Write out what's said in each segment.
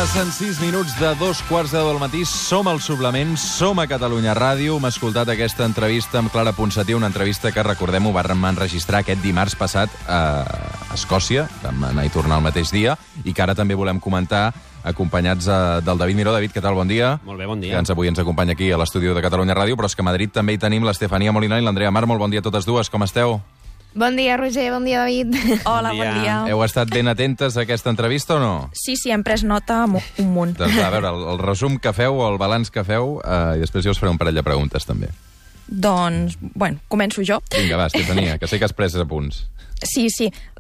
Passen 6 minuts de 2:15 del matí. Som al Suplement, som a Catalunya Ràdio. Hem escoltat aquesta entrevista amb Clara Ponsatí, una entrevista que, recordem-ho, vam enregistrar aquest dimarts passat a Escòcia. Vam anar i tornar el mateix dia, i que ara també volem comentar acompanyats del David Miró. David, què tal? Bon dia. Molt bé, bon dia. Que avui ens acompanya aquí a l'estudi de Catalunya Ràdio, però és que a Madrid també hi tenim l'Estefania Molina i l'Andrea Mar. Molt bon dia a totes dues, com esteu? Bon dia, Roger, bon dia, David. Hola, bon dia. Heu estat ben atentes a aquesta entrevista o no? Sí, hem pres nota un munt. Doncs a veure, el resum que feu, el balanç que feu, i després jo us faré un parell de preguntes també. Doncs, bueno, començo jo. Vinga, va, Estefania, que sé que has pres apunts. Sí.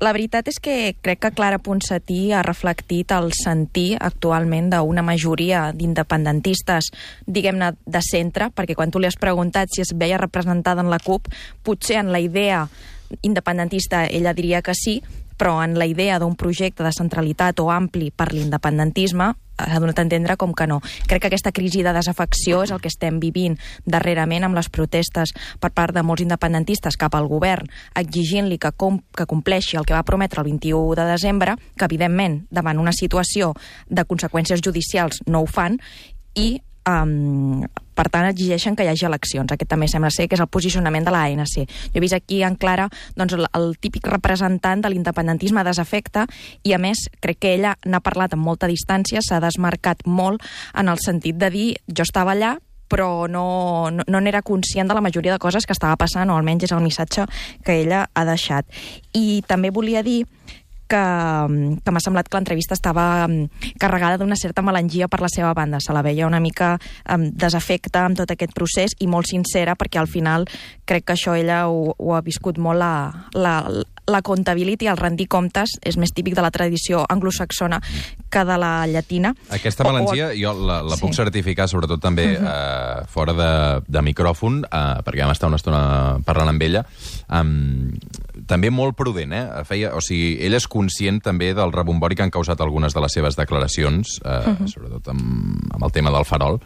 La veritat és que crec que Clara Ponsatí ha reflectit el sentir actualment d'una majoria d'independentistes, diguem-ne, de centre, perquè quan tu li has preguntat si es veia representada en la CUP, potser en la idea independentista ella diria que sí, però en la idea d'un projecte de centralitat o ampli per l'independentisme ha donat a entendre com que no. Crec que aquesta crisi de desafecció és el que estem vivint darrerament amb les protestes per part de molts independentistes cap al govern, exigint-li que compleixi el que va prometre el 21 de desembre, que evidentment davant una situació de conseqüències judicials no ho fan, i per tant exigeixen que hi hagi eleccions. Aquest també sembla ser que és el posicionament de l'ANC. Jo he vist aquí en Clara doncs, el típic representant de l'independentisme desafecte, i a més crec que ella n'ha parlat amb molta distància, s'ha desmarcat molt en el sentit de dir jo estava allà però no n'era conscient de la majoria de coses que estava passant, o almenys és el missatge que ella ha deixat. I també volia dir que m'ha semblat que l'entrevista estava carregada d'una certa melangia per la seva banda. Se la veia una mica desafecte amb tot aquest procés i molt sincera, perquè al final crec que això ella ho ha viscut molt. La comptability, el rendir comptes, és més típic de la tradició anglosaxona que de la llatina. Aquesta melangia jo la puc certificar, sobretot també fora de micròfon, perquè vam estar una estona parlant amb ella. També molt prudent, o sigui, ella és conscient també del rebombori que han causat algunes de les seves declaracions, sobretot amb el tema del farol,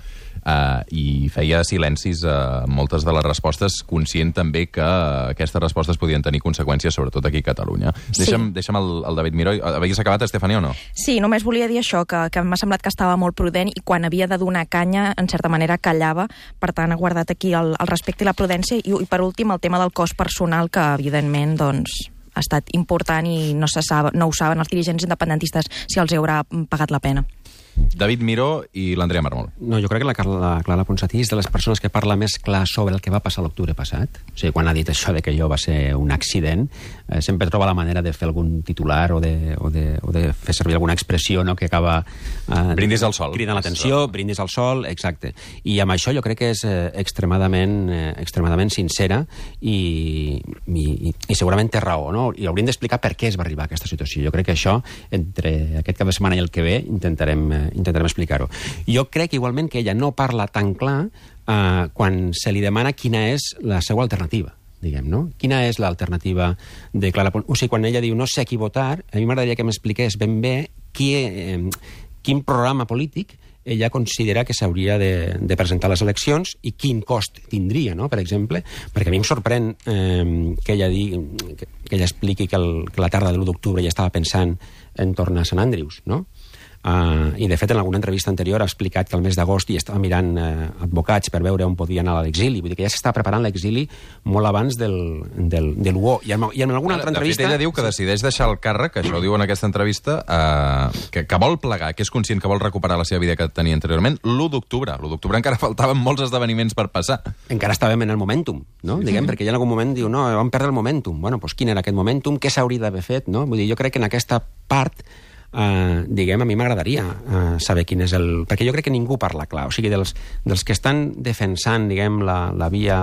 i feia silencis a moltes de les respostes, conscient també que aquestes respostes podien tenir conseqüències, sobretot aquí a Catalunya. Deixa'm el David Miró. Havies acabat, Estefania, o no? Sí, només volia dir això, que m'ha semblat que estava molt prudent, i quan havia de donar canya, en certa manera, callava. Per tant, ha guardat aquí el respecte i la prudència. I per últim, el tema del cost personal, que evidentment doncs, ha estat important i no ho saben els dirigents independentistes si els haurà pagat la pena. David Miró i l'Andrea Marmol. No, jo crec que la Clara Ponsatí és de les persones que parla més clar sobre el que va passar l'octubre passat. O sigui, quan ha dit això de que allò va ser un accident, sempre troba la manera de fer algun titular o de fer servir alguna expressió, no?, que acaba... brindis al sol. Cridant l'atenció, brindis al sol, exacte. I amb això jo crec que és extremadament sincera i segurament té raó, no? I hauríem d'explicar per què es va arribar a aquesta situació. Jo crec que això, entre aquest cap de setmana i el que ve, intentarem explicar-ho. Jo crec igualment que ella no parla tan clar quan se li demana quina és la seva alternativa, diguem, no? Quina és l'alternativa de Clara Ponsatí? O sigui, quan ella diu no sé a qui votar, a mi m'agradaria que m'expliqués ben bé quin programa polític ella considera que s'hauria de presentar a les eleccions i quin cost tindria, no?, per exemple, perquè a mi em sorprèn que ella expliqui que la tarda de l'1 d'octubre ja estava pensant en tornar a Sant Andrews, no? I de fet en alguna entrevista anterior ha explicat que el mes d'agost hi estava mirant advocats per veure on podia anar a l'exili, vull dir que ja s'està preparant l'exili molt abans de l'1. I en alguna altra entrevista... De fet, ella diu que decideix deixar el càrrec, això ho diu en aquesta entrevista, que vol plegar, que és conscient que vol recuperar la seva vida que tenia anteriorment, l'1 d'octubre. L'1 d'octubre encara faltaven molts esdeveniments per passar. Encara estàvem en el momentum, no? Diguem, perquè ja en algun moment diu, no, vam perdre el momentum. Bueno, doncs quin era aquest momentum? Què s'hauria d'haver fet, no? Vull dir, jo crec que en aquesta part diguem, a mi m'agradaria saber quin és el... Perquè jo crec que ningú parla clar. O sigui, dels que estan defensant, diguem, la via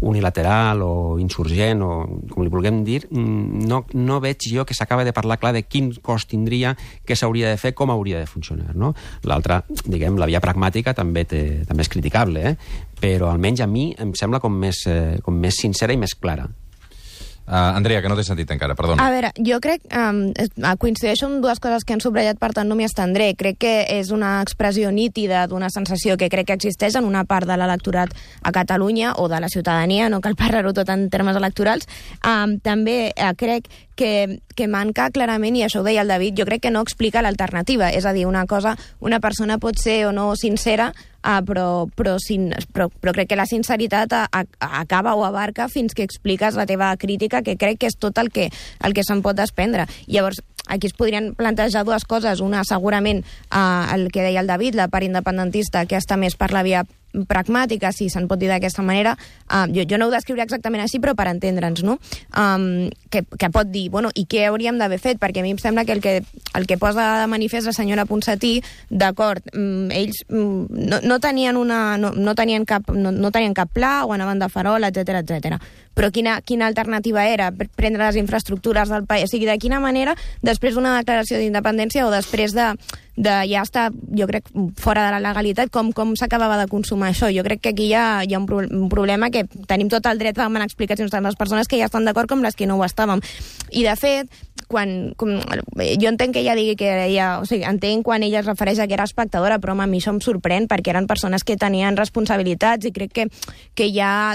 unilateral o insurgent, o com li vulguem dir, no veig jo que s'acaba de parlar clar de quin cost tindria, què s'hauria de fer, com hauria de funcionar, no? L'altra, diguem, la via pragmàtica també és criticable, però almenys a mi em sembla com més sincera i més clara. Andrea, que no t'he sentit encara, perdona. A veure, jo crec, coincideixo amb dues coses que han subratllat, per tant no m'hi estendré. Crec que és una expressió nítida d'una sensació que crec que existeix en una part de l'electorat a Catalunya, o de la ciutadania, no cal parlar-ho tot en termes electorals. També crec que manca clarament, i això ho deia el David, jo crec que no explica l'alternativa. És a dir, una persona pot ser o no sincera, però crec que la sinceritat acaba o abarca fins que expliques la teva crítica, que crec que és tot el que se'n pot desprendre. Llavors, aquí es podrien plantejar dues coses. Una, segurament, el que deia el David, la part independentista, que està més per la via pragmàtica, si se'n pot dir d'aquesta manera. Jo no ho descriuré exactament així, però per entendre'ns, no? Que pot dir, bueno, i què hauríem d'haver fet? Perquè a mi em sembla que el que posa de manifest la senyora Ponsatí, d'acord, ells no tenien cap pla, o anaven de farol, etc. Però quina alternativa era? Prendre les infraestructures del país? O sigui, de quina manera, després d'una declaració d'independència o després de ja estar, jo crec, fora de la legalitat, com s'acabava de consumar això? Jo crec que aquí hi ha un problema, que tenim tot el dret a demanar explicacions tant les persones que ja estan d'acord com les que no ho estàvem. I, de fet, jo entenc que ella digui que entenc quan ella es refereix a que era espectadora, però a mi això em sorprèn, perquè eren persones que tenien responsabilitats, i crec que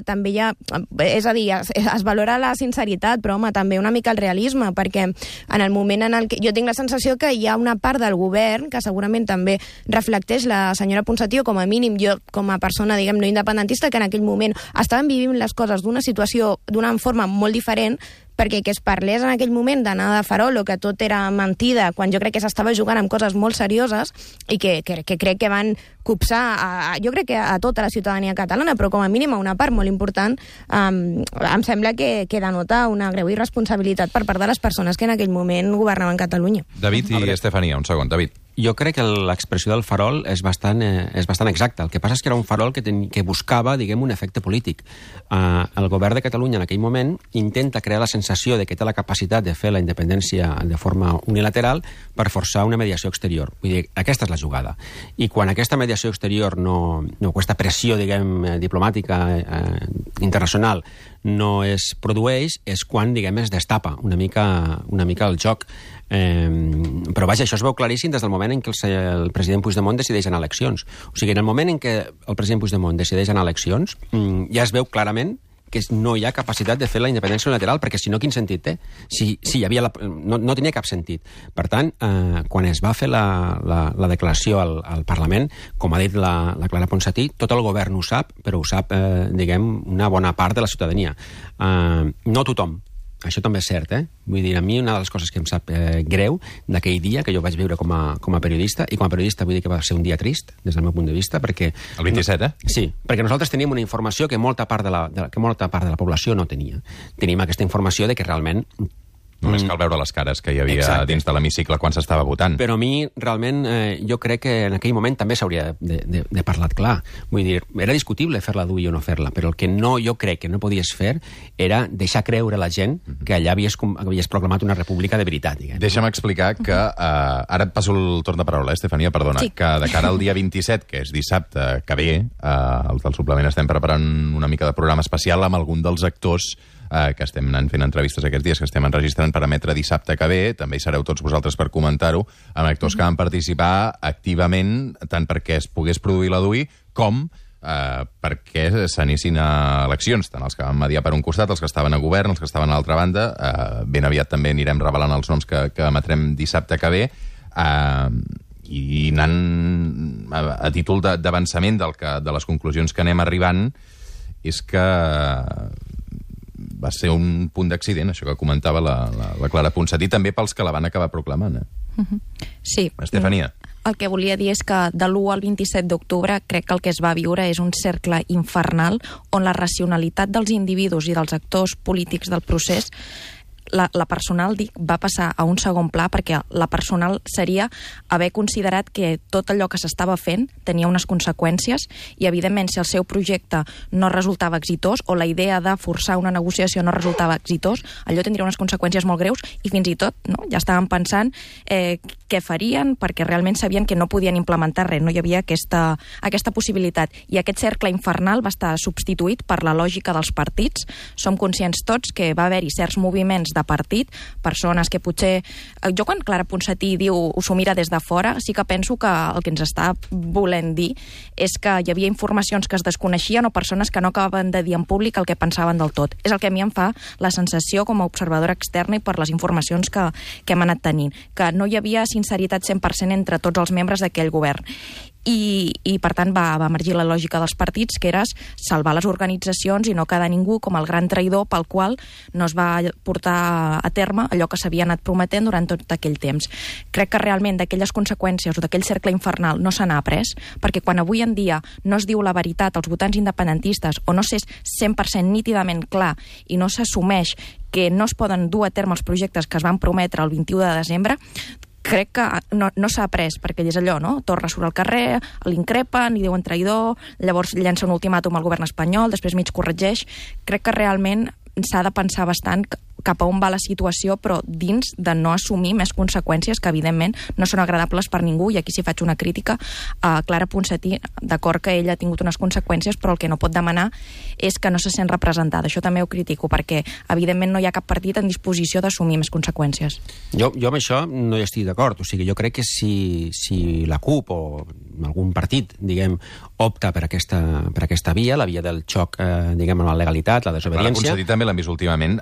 també hi ha... És a dir, es valora la sinceritat, però, també una mica el realisme, perquè en el moment en el que... Jo tinc la sensació que hi ha una part del govern que segurament també reflecteix la senyora Ponsatí, o com a mínim jo, com a persona, diguem, no independentista, que en aquell moment estaven vivint les coses d'una forma molt diferent, perquè que es parlés en aquell moment d'anar de farol o que tot era mentida, quan jo crec que s'estava jugant amb coses molt serioses, i que crec que van copsar jo crec que a tota la ciutadania catalana, però com a mínim a una part molt important, em sembla que denota una greu irresponsabilitat per part de les persones que en aquell moment governaven Catalunya. David i Estefania, un segon. David. Jo crec que l'expressió del farol és bastant exacta. El que passa és que era un farol que buscava, diguem, un efecte polític. El govern de Catalunya en aquell moment intenta crear la sensació de que té la capacitat de fer la independència de forma unilateral per forçar una mediació exterior. Vull dir, aquesta és la jugada. I quan aquesta mediació exterior aquesta pressió, diguem, diplomàtica internacional no es produeix, és quan, diguem, es destapa una mica el joc. Però vaja, això es veu claríssim des del moment en què el president Puigdemont decideix anar a eleccions. O sigui, en el moment en què el president Puigdemont decideix anar a eleccions, ja es veu clarament que no hi ha capacitat de fer la independència unilateral, perquè si no, quin sentit té? Si hi havia no tenia cap sentit. Per tant, quan es va fer la declaració al Parlament, com ha dit la Clara Ponsatí, tot el govern ho sap, però ho sap, diguem, una bona part de la ciutadania. No tothom. Això també és cert, Vull dir, a mi una de les coses que em sap greu d'aquell dia, que jo vaig viure com a periodista, i com a periodista vull dir que va ser un dia trist, des del meu punt de vista, perquè... El 27, Sí, perquè nosaltres teníem una informació que molta part de la població no tenia. Teníem aquesta informació de que realment... Només cal veure les cares que hi havia dins de l'hemicicle quan s'estava votant. Però a mi, realment, jo crec que en aquell moment també s'hauria de parlar clar. Vull dir, era discutible fer-la dur o no fer-la, però el que jo crec que no podies fer era deixar creure a la gent que allà havies proclamat una república de veritat. Diguem. Deixa'm explicar que... ara et passo el torn de paraula, Estefania, perdona. Sí. Que de cara al dia 27, que és dissabte que ve, els del suplement estem preparant una mica de programa especial amb algun dels actors que estem anant fent entrevistes aquests dies, que estem enregistrant per emetre dissabte que ve. També hi sereu tots vosaltres per comentar-ho, amb actors que van participar activament, tant perquè es pogués produir la DUI, com perquè s'anissin a eleccions, tant els que van mediar per un costat, els que estaven a govern, els que estaven a l'altra banda. Ben aviat també anirem revelant els noms que emetrem dissabte que ve, i anant a títol d'avançament de les conclusions que anem arribant, és que va ser un punt d'accident, això que comentava la Clara Ponsatí, també pels que la van acabar proclamant. Sí. Estefania. El que volia dir és que de l'1 al 27 d'octubre crec que el que es va viure és un cercle infernal on la racionalitat dels individus i dels actors polítics del procés, la personal, va passar a un segon pla, perquè la personal seria haver considerat que tot allò que s'estava fent tenia unes conseqüències, i evidentment si el seu projecte no resultava exitós o la idea de forçar una negociació no resultava exitós, allò tindria unes conseqüències molt greus, i fins i tot ja estaven pensant què farien, perquè realment sabien que no podien implementar res, no hi havia aquesta possibilitat. I aquest cercle infernal va estar substituït per la lògica dels partits. Som conscients tots que va haver-hi certs moviments de partit, persones que potser... Jo quan Clara Ponsatí diu ho s'ho mira des de fora, sí que penso que el que ens està volent dir és que hi havia informacions que es desconeixien o persones que no acabaven de dir en públic el que pensaven del tot. És el que a mi em fa la sensació com a observadora externa i per les informacions que hem anat tenint, que no hi havia sinceritat 100% entre tots els membres d'aquell govern. I per tant va emergir la lògica dels partits, que era salvar les organitzacions i no quedar ningú com el gran traïdor pel qual no es va portar a terme allò que s'havia anat prometent durant tot aquell temps. Crec que realment d'aquelles conseqüències o d'aquell cercle infernal no se n'ha après, perquè quan avui en dia no es diu la veritat als votants independentistes o no s'és 100% nítidament clar i no s'assumeix que no es poden dur a terme els projectes que es van prometre el 21 de desembre, crec que no s'ha après, perquè és allò, no? Torra surt al carrer, l'increpen, li diuen traïdor, llavors llença un ultimàtum al govern espanyol, després mig corregeix. Crec que realment s'ha de pensar bastant cap a on va la situació, però dins de no assumir més conseqüències que, evidentment, no són agradables per ningú, i aquí sí faig una crítica a Clara Ponsatí, d'acord que ella ha tingut unes conseqüències, però el que no pot demanar és que no se sent representada. Això també ho critico, perquè, evidentment, no hi ha cap partit en disposició d'assumir més conseqüències. Jo amb això no hi estic d'acord. O sigui, jo crec que si la CUP o algun partit, diguem, opta per aquesta via, la via del xoc, diguem, amb la legalitat, la desobediència... La Ponsatí també l'hem vist últimament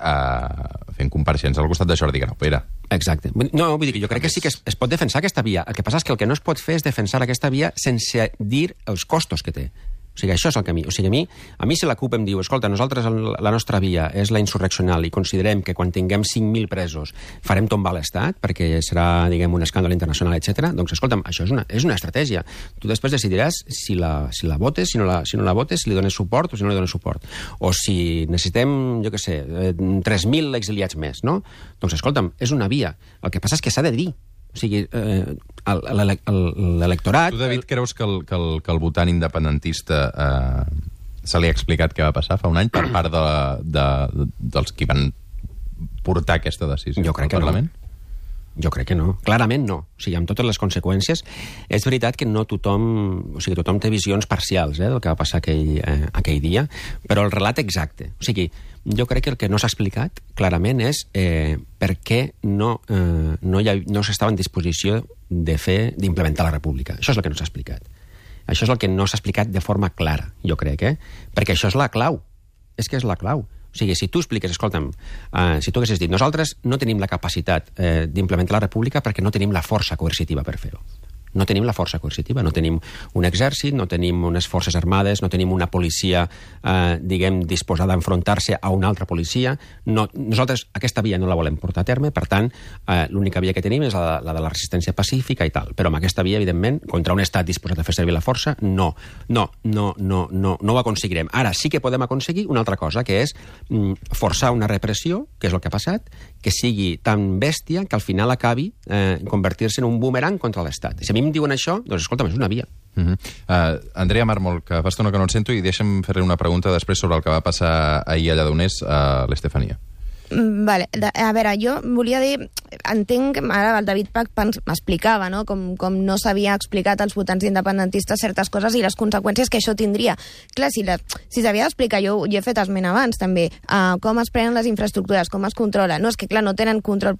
fent compareixences al costat de Jordi Graupera. Exacte. No, vull dir que jo crec que sí que es pot defensar aquesta via. El que passa és que el que no es pot fer és defensar aquesta via sense dir els costos que té. O sigui, això és el camí. O sigui, a mi si la CUP em diu, escolta, nosaltres la nostra via és la insurreccional i considerem que quan tinguem 5.000 presos farem tombar l'Estat perquè serà, diguem, un escàndol internacional, etc. Doncs, escolta'm, això és una estratègia. Tu després decidiràs si la votes, si no la votes, si li dones suport o si no li dones suport. O si necessitem, jo què sé, 3.000 exiliats més, no? Doncs, escolta'm, és una via. El que passa és que s'ha de dir. O sigui, l'electorat... Tu, David, creus que el votant independentista se li ha explicat què va passar fa un any per part dels qui van portar aquesta decisió al Parlament? Jo crec que no. Clarament no. O sigui, amb totes les conseqüències, és veritat que no tothom... O sigui, tothom té visions parcials del que va passar aquell dia, però el relat exacte. O sigui, jo crec que el que no s'ha explicat clarament és per què no s'estava en disposició d'implementar la república. Això és el que no s'ha explicat. Això és el que no s'ha explicat de forma clara, jo crec, perquè això és la clau. És que és la clau. O sigui, si tu expliques, escolta'm, si tu haguessis dit, nosaltres no tenim la capacitat d'implementar la república perquè no tenim la força coercitiva per fer-ho. No tenim la força coercitiva, no tenim un exèrcit, no tenim unes forces armades, no tenim una policia, diguem, disposada a enfrontar-se a una altra policia. Nosaltres aquesta via no la volem portar a terme, per tant, l'única via que tenim és la de la resistència pacífica i tal. Però amb aquesta via, evidentment, contra un estat disposat a fer servir la força, no ho aconseguirem. Ara sí que podem aconseguir una altra cosa, que és forçar una repressió, que és el que ha passat, que sigui tan bèstia que al final acabi convertir-se en un boomerang contra l'Estat. Si a mi em diuen això, doncs escolta'm, és una via. Andrea Mármol, que fa estona que no et sento, i deixa'm fer-li una pregunta després sobre el que va passar ahir a Lledoners a l'Estefania. Vale. A veure, jo volia dir, entenc, ara el David Pach m'explicava, no? Com no s'havia explicat als votants independentistes certes coses i les conseqüències que això tindria. Clar, si s'havia d'explicar, jo he fet esment abans també, com es prenen les infraestructures, com es controla. No, és que clar, no tenen control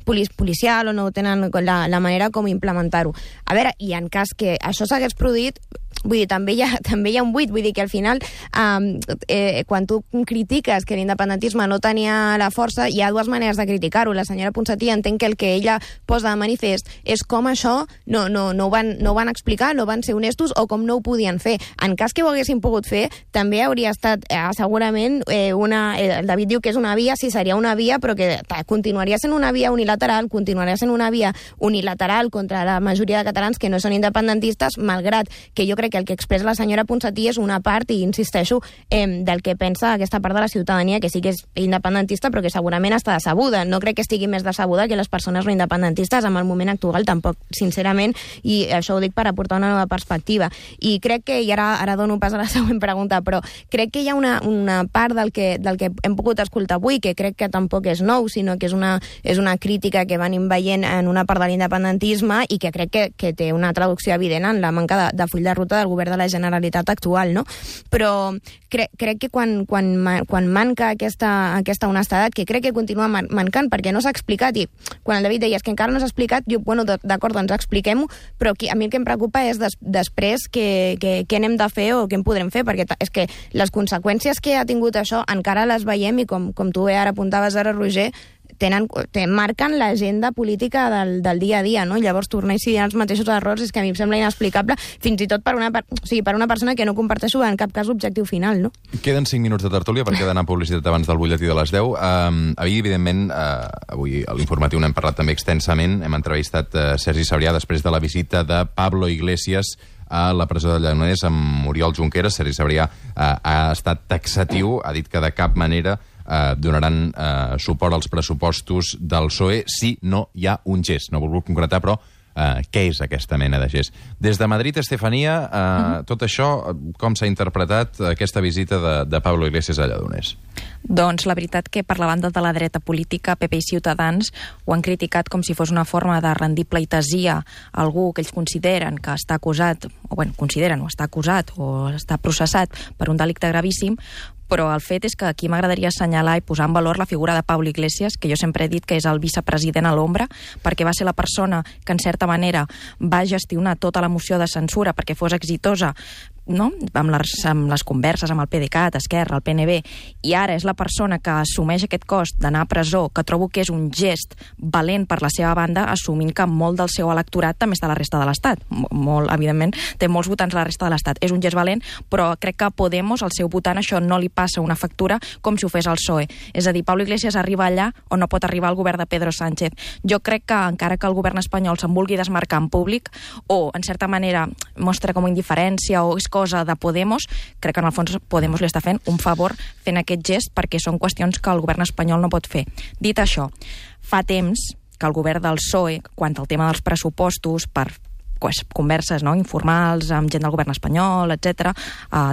policial o no tenen la manera com implementar-ho. A veure, i en cas que això s'hagués produït, vull dir, també hi ha un buit, vull dir que al final quan tu critiques que l'independentisme no tenia la força, hi ha dues maneres de criticar-ho. La senyora Ponsatí entenc que el que ella posa de manifest és com això no ho van explicar, no van ser honestos o com no ho podien fer. En cas que ho haguessin pogut fer, també hauria estat segurament el David diu que és una via, sí, seria una via, però que continuaria sent una via unilateral, continuaria sent una via unilateral contra la majoria de catalans que no són independentistes, malgrat que jo crec que el que expressa la senyora Ponsatí és una part, i insisteixo, del que pensa aquesta part de la ciutadania, que sí que és independentista, però que segurament està decebuda. No crec que estigui més decebuda còmode que les persones no independentistes amb el moment actual tampoc, sincerament, i això ho dic per aportar una nova perspectiva. I crec que, i ara dono pas a la següent pregunta, però crec que hi ha una part del que hem pogut escoltar avui, que crec que tampoc és nou, sinó que és una crítica que venim veient en una part de l'independentisme i que crec que té una traducció evident en la manca de full de ruta del govern de la Generalitat actual, no? Però crec que quan manca aquesta honestedat, que crec que continua mancant, perquè no s'ha explicat, i quan el David deia que encara no s'ha explicat, jo, bueno, d'acord, doncs expliquem-ho, però a mi el que em preocupa és després què n'hem de fer o què en podrem fer, perquè és que les conseqüències que ha tingut això encara les veiem i com tu ara apuntaves ara, Roger, marquen l'agenda política del dia a dia, no? Llavors tornar a incidir en els mateixos errors és que a mi em sembla inexplicable, fins i tot per una persona que no comparteixo en cap cas l'objectiu final, no? Queden 5 minuts de tertúlia perquè he d'anar a publicitat abans del butlletí de les 10. Evidentment, avui a l'informatiu n'hem parlat també extensament, hem entrevistat Sergi Sabrià després de la visita de Pablo Iglesias a la presó de Lledoners amb Oriol Junqueras. Sergi Sabrià ha estat taxatiu, ha dit que de cap manera donaran suport als pressupostos del PSOE si no hi ha un gest. No he volgut concretar, però què és aquesta mena de gest? Des de Madrid, Estefania, tot això, com s'ha interpretat aquesta visita de Pablo Iglesias a Lledoners? Doncs la veritat que per la banda de la dreta política, PP i Ciutadans ho han criticat com si fos una forma de rendir pleitesia a algú que ells consideren que està acusat, o està acusat o està processat per un delicte gravíssim, però el fet és que aquí m'agradaria assenyalar i posar en valor la figura de Pablo Iglesias, que jo sempre he dit que és el vicepresident a l'ombra, perquè va ser la persona que, en certa manera, va gestionar tota la moció de censura perquè fos exitosa, no? amb les converses amb el PDeCAT, Esquerra, el PNB, i ara és la persona que assumeix aquest cost d'anar a presó, que trobo que és un gest valent per la seva banda, assumint que molt del seu electorat també està a la resta de l'Estat. Evidentment, té molts votants a la resta de l'Estat. És un gest valent, però crec que a Podemos, el seu votant, això no li passa una factura com si ho fes el PSOE. És a dir, Pablo Iglesias arriba allà on no pot arribar el govern de Pedro Sánchez. Jo crec que, encara que el govern espanyol se'n vulgui desmarcar en públic, o, en certa manera, mostra com indiferència o és cosa de Podemos, crec que en el fons Podemos li està fent un favor fent aquest gest, perquè són qüestions que el govern espanyol no pot fer. Dit això, fa temps que el govern del PSOE, quant al tema dels pressupostos, per converses informals amb gent del govern espanyol, etc.,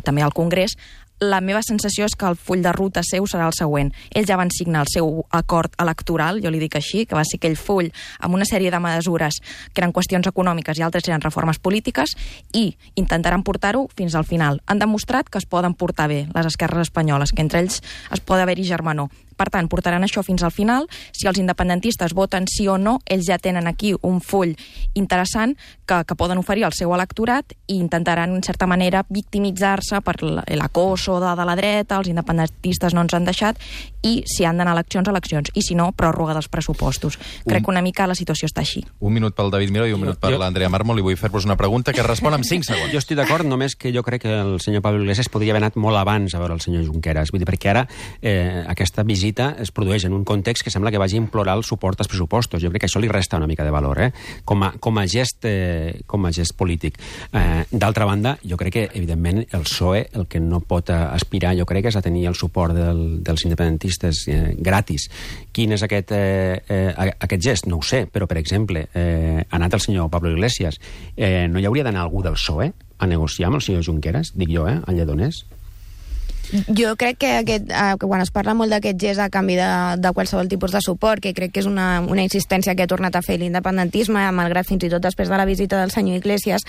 també al Congrés, la meva sensació és que el full de ruta seu serà el següent. Ells ja van signar el seu acord electoral, jo li dic així, que va ser aquell full amb una sèrie de mesures que eren qüestions econòmiques i altres eren reformes polítiques, i intentaran portar-ho fins al final. Han demostrat que es poden portar bé les esquerres espanyoles, que entre ells es pot haver-hi germanor. Per tant, portaran això fins al final. Si els independentistes voten sí o no, ells ja tenen aquí un full interessant que poden oferir al seu electorat i intentaran, en certa manera, victimitzar-se per l'acoso de la dreta, els independentistes no ens han deixat, i si han d'anar a eleccions, i si no, pròrroga dels pressupostos. Crec que una mica la situació està així. Un minut pel David Miró i un minut per l'Andrea Mármol, i vull fer-vos una pregunta que respon en 5 segons. Jo estic d'acord, només que jo crec que el senyor Pablo Iglesias podria haver anat molt abans a veure el senyor Junqueras, vull dir, perquè ara aquesta visita es produeix en un context que sembla que vagi a implorar el suport als pressupostos. Jo crec que això li resta una mica de valor, com a gest polític. D'altra banda, jo crec que, evidentment, el PSOE el que no pot aspirar, jo crec, és a tenir el suport dels independentistes gratis. Quin és aquest gest? No ho sé, però, per exemple, ha anat el senyor Pablo Iglesias. No hi hauria d'anar algú del PSOE a negociar amb el senyor Junqueras, dic jo, a Lledoners? Jo crec que quan es parla molt d'aquest gest a canvi de qualsevol tipus de suport, que crec que és una insistència que ha tornat a fer l'independentisme, malgrat fins i tot després de la visita del senyor Iglesias,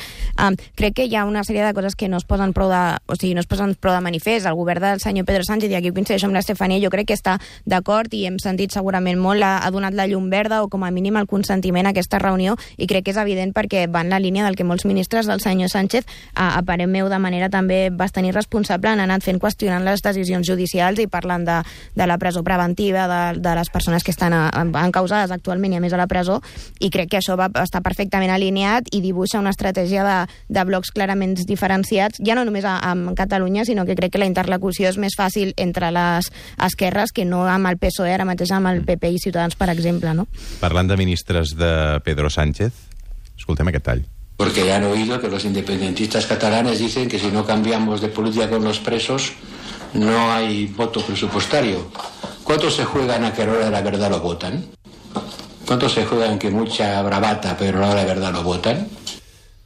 crec que hi ha una sèrie de coses que no es posen prou de manifest. El govern del senyor Pedro Sánchez, i aquí coincideixo amb l'Estefania, jo crec que està d'acord, i hem sentit segurament molt, ha donat la llum verda o com a mínim el consentiment a aquesta reunió, i crec que és evident perquè va en la línia del que molts ministres del senyor Sánchez, a parer meu de manera també bastant irresponsable, han anat fent qüestionant les decisions judicials i parlant de la presó preventiva de les persones que estan encausades actualment i a més a la presó, i crec que això va estar perfectament alineat i dibuixa una estratègia de blocs clarament diferenciats, ja no només a Catalunya, sinó que crec que la interlocució és més fàcil entre les esquerres que no amb el PSOE, ara mateix amb el PP i Ciutadans, per exemple, no? Parlant de ministres de Pedro Sánchez, escoltem aquest tall. Porque ya han oído que los independentistas catalanes dicen que si no cambiamos de política con los presos no hay voto presupuestario. ¿Cuántos se juegan a que a la hora de la verdad lo votan? ¿Cuántos se juegan que mucha bravata, pero a la hora de verdad no votan?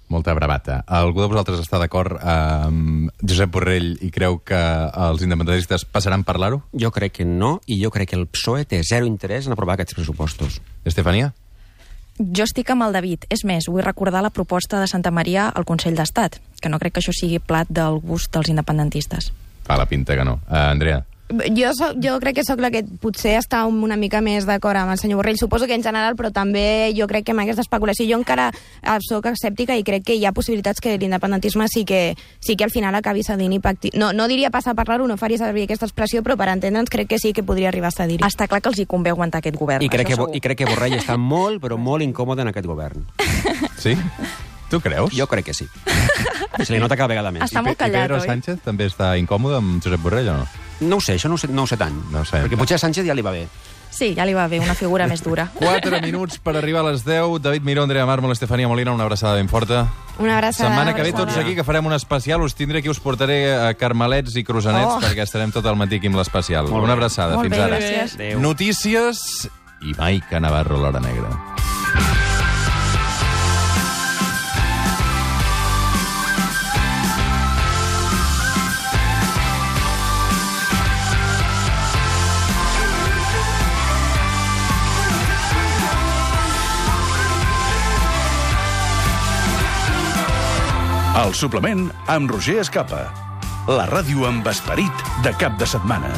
Molta bravata. Algú de vosaltres està d'acord amb Josep Borrell i creu que els independentistes passaran per l'aro? Jo crec que no, i jo crec que el PSOE té zero interès en aprovar aquests pressupostos. Estefania? Jo estic amb el David. És més, vull recordar la proposta de Santa Maria al Consell d'Estat, que no crec que això sigui plat del gust dels independentistes. Fa la pinta que no. Andrea? Jo crec que sóc la que potser està una mica més d'acord amb el senyor Borrell. Suposo que en general, però també jo crec que amb aquesta especulació jo encara sóc escèptica i crec que hi ha possibilitats que l'independentisme sí que al final acabi cedint i pacti... No diria passar a parlar-ho, no faria servir aquesta expressió, però per entendre'ns crec que sí que podria arribar a cedir-hi. Està clar que els hi convé aguantar aquest govern. I crec que Borrell està molt, però molt incòmode en aquest govern. Sí? Tu creus? Jo crec que sí. Se li nota cada vegada més. Està molt callat, I Pedro oi? Sánchez també està incòmode amb Josep Borrell o no? No ho sé, això no ho sé tant. No ho sé. Perquè potser a Sánchez ja li va bé. Sí, ja li va bé, una figura més dura. 4 minuts per arribar a les 10. David Miró, Andrea Mármol, Estefania Molina, una abraçada ben forta. Una abraçada. Setmana que ve tots aquí, que farem un especial. Us tindré aquí, us portaré a carmelets i croissants perquè estarem tot el matí aquí amb l'especial. Molt bé. Una abraçada, Molt fins bé, ara. gràcies. Adéu. Notícies i Maica Navarro, l'Hora Negra. El suplement amb Roger Escapa. La ràdio amb esperit de cap de setmana.